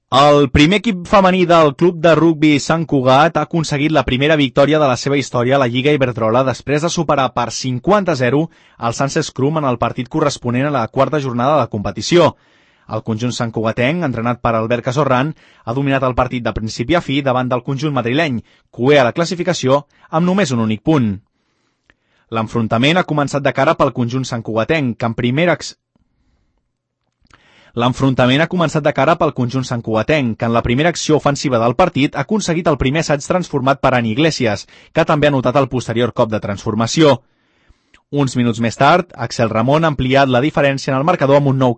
El primer equip femení del Club de Rugbi Sant Cugat ha aconseguit la primera victòria de la seva història a la Lliga Iberdrola després de superar per 50-0 el Sanses Crum en el partit corresponent a la quarta jornada de la competició. El conjunt santcugatenc, entrenat per Albert Casorran, ha dominat el partit de principi a fi davant del conjunt madrileny, cuer a la classificació amb només un únic punt. L'enfrontament ha començat de cara pel conjunt santcugatenc, que en la primera acció ofensiva del partit ha aconseguit el primer assaig transformat per Ani Iglesias, que també ha notat el posterior cop de transformació. Uns minuts més tard, Axel Ramon ha ampliat la diferència en el marcador amb un nou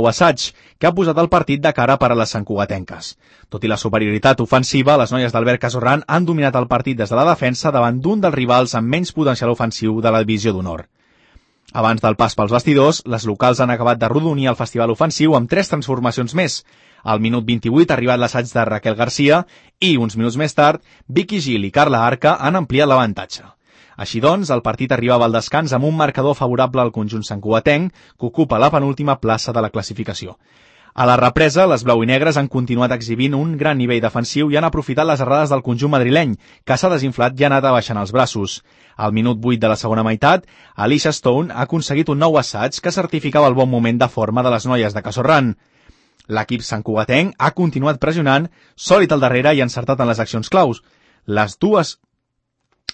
assaig. Que ha posat el partit de cara per a les santcugatenques. Tot i la superioritat ofensiva, les noies d'Albert Casorran han dominat el partit des de la defensa davant d'un dels rivals amb menys potencial ofensiu de la divisió d'honor. Abans del pas pels vestidors, les locals han acabat de rodonir el festival ofensiu amb 3 transformacions més. Al minut 28 ha arribat l'assaig de Raquel Garcia i, uns minuts més tard, Vicky Gil i Carla Arca han ampliat l'avantatge. Així doncs, el partit arribava al descans amb un marcador favorable al conjunt santcugatenc, que ocupa la penúltima plaça de la classificació. A la represa, les blau i negres han continuat exhibint un gran nivell defensiu i han aprofitat les errades del conjunt madrileny, que s'ha desinflat i ha anat abaixant els braços. Al minut 8 de la segona meitat, Alicia Stone ha aconseguit un nou assaig que certificava el bon moment de forma de les noies de Casorran. L'equip santcugatenc ha continuat pressionant, sòlid al darrere i encertat en les accions claus.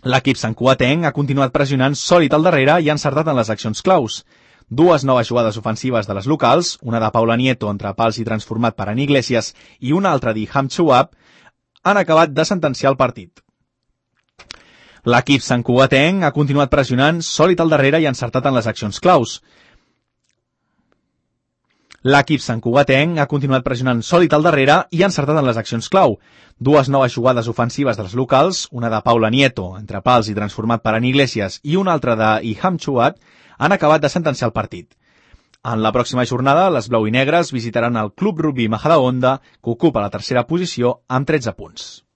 L'equip santcugatenc ha continuat pressionant sòlid al darrere i ha encertat en les accions claus. 2 noves jugades ofensives de les locals, una de Paula Nieto entre pals i transformat per Ani Iglesias i una altra d'Iham Chouab, han acabat de sentenciar el partit. L'equip santcugatenc ha continuat pressionant sòlid al darrere i ha encertat en les accions claus. L'equip santcugatenc ha continuat pressionant sòlid al darrere i ha encertat en les accions clau. 2 noves jugades ofensives dels locals, una de Paula Nieto, entre pals i transformat per Ani Iglesias, i una altra d'Iham Chouab, han acabat de sentenciar el partit. En la pròxima jornada, les blau i negres visitaran el Club Rugbi Majadahonda, que ocupa la tercera posició amb 13 punts.